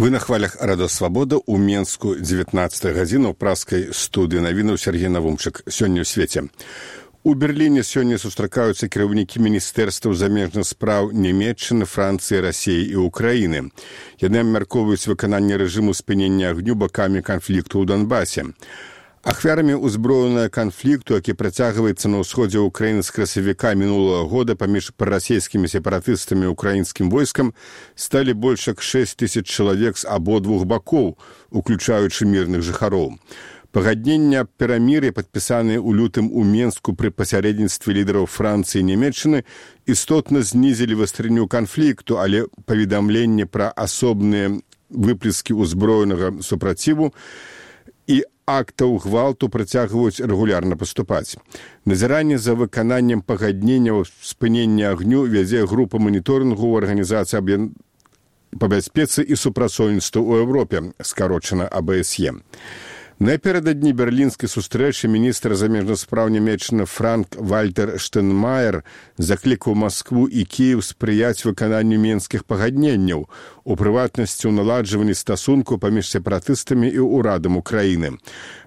Вы на хвалях Радио Свабода ў Менску 19 гадзіну ў праскай студыі навінаў Сергей Навумчык. Сёння ў свеце. У Берліне сёння сустракаюцца кіраўнікі міністэрстваў замежных спраў Нямецчыны, Францыі, Расіі і Украіны. Яны абмяркоўваюць выкананне рэжыму спынення агню бакамі канфлікту ў Донбасе. Ахвярамі ўзброенага канфлікту, які працягваецца на ўсходзе Украіны з красавіка мінулага года паміж прарасійскімі сепаратыстамі і украінскім войскам, сталі больш як 6 000 чалавек з абодвух бакоў, уключаючы мірных жыхароў. Пагаднення аб перамір'і, падпісаныя ў лютым у Менску пры пасярэдніцтве лідараў Францыі і Нямецчыны, істотна знізілі вастрыню канфлікту, але паведамленне пра асобныя выплескі ўзброенага супраціву і актаў гвалту працягваюць рэгулярна паступаць. Назіранне за выкананнем пагаднення спынення агню вядзе група маніторынгу ў арганізацыі па бяспецы і супрацоўніцтву ў Еўропе, скарочана АБСЕ. Напярэдадні берлінскай сустрэчы міністр замежных спраў Нямецчыны Франк-Вальтер Штайнмаер заклікаў Маскву і Кіеў спрыяць выкананню менскіх пагадненняў, у прыватнасці ў наладжванні стасункаў паміж сепаратыстамі і ўрадам Украіны.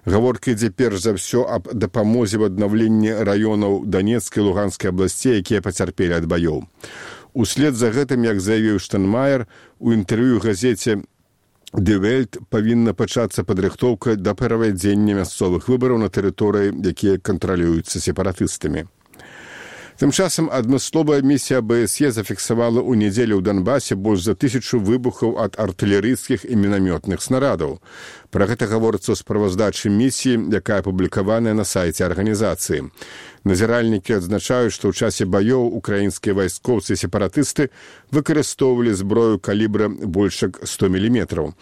Гаворка ідзе перш за ўсё аб дапамозе ў аднаўленні раёнаў Данецкай і Луганскай абласцей, якія пацярпелі ад баёў. Услед за гэтым, як заявіў Штайнмаер, у інтэрв'ю газеце «Die Welt» павінна пачацца падрыхтоўка да правядзення мясцовых выбараў на тэрыторыі, якія кантралююцца сепаратыстамі. Тым часам адмысловая місія АБСЕ зафіксавала ў нядзелю ў Донбасе больш за 1000 выбухаў ад артылерыйскіх і мінамётных снарадаў. Пра гэта гаворыцца ў справаздачы місіі, якая апублікаваная на сайце арганізацыі. Назіральнікі адзначаюць, што ў часе баёў украінскія вайскоўцы і сепаратысты выкарыстоўвалі зброю калібра больш як 100 мм.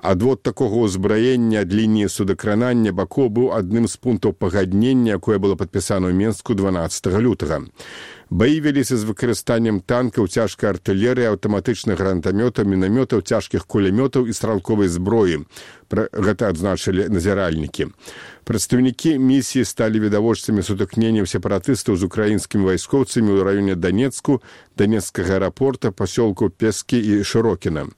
Адвод такога ўзбраення ад лініі судакранання бакоў быў адным з пунктаў пагаднення, якое было падпісана ў Менску 12 лютага. Баі веліся з выкарыстаннем танкаў, цяжкай артылерыі, аўтаматычных гранатамётаў, мінамётаў, цяжкіх кулямётаў і стралковай зброі. Пра гэта адзначылі назіральнікі. Прадстаўнікі місіі сталі відавочцамі сутыкненняў сепаратыстаў з украінскімі вайскоўцамі ў раёне Данецку, Данецкага аэрапорта, пасёлку Пескі і Шырокіна.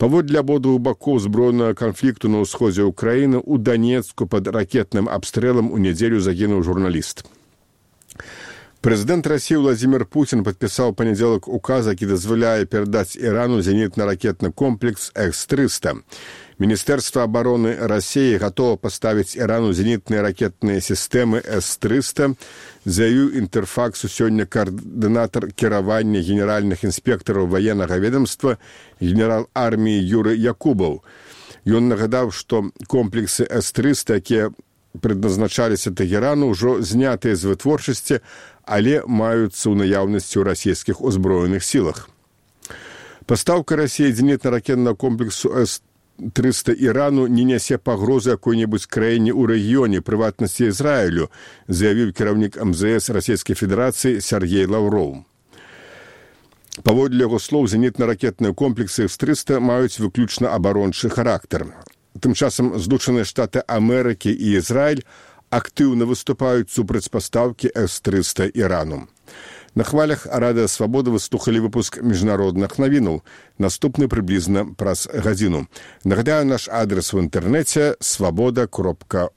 Паводле абодвух бакоў зброенага канфлікту на ўсходзе Украіны ў Данецку пад ракетным абстрэлам у нядзелю загінуў журналіст. Прэзідэнт Расіі Владзімір Пуцін падпісаў панядзелак указ, які дазваляе перадаць Ірану зенітна-ракетны комплекс С-300. Міністэрства абароны Расіі гатова паставіць Ірану зенітныя ракетныя сістэмы С-300, заявіў Інтэрфаксу сёння каардынатар кіравання генеральных інспектараў ваеннага ведамства генерал арміі Юрый Якубаў. Ён нагадаў, што комплексы С-300, якія предназначаліся Тэгерану, ўжо знятыя з вытворчасці, але маюцца ў наяўнасці ў расійскіх узброеных сілах. Пастаўка Расіі зенітна-ракетнага комплексу С-300 Ірану не нясе пагрозы якой-небудзь краіне ў рэгіёне, прыватнасці Ізраілю, заявіў кіраўнік МЗС Расійскай Федэрацыі Сергей Лаўроў. Паводле яго слоў, зенітна-ракетныя комплексы С-300 маюць выключна абарончы характар. Тым часам Злучаныя Штаты Амерыкі і Ізраіль актыўна выступаюць супраць пастаўкі С-300 Ірану. На хвалях Радыё Свабода вы слухалі выпуск міжнародных навінаў. Наступны прыблізна праз гадзіну. Нагадаю, наш адрес в інтэрнэце свабода.орг.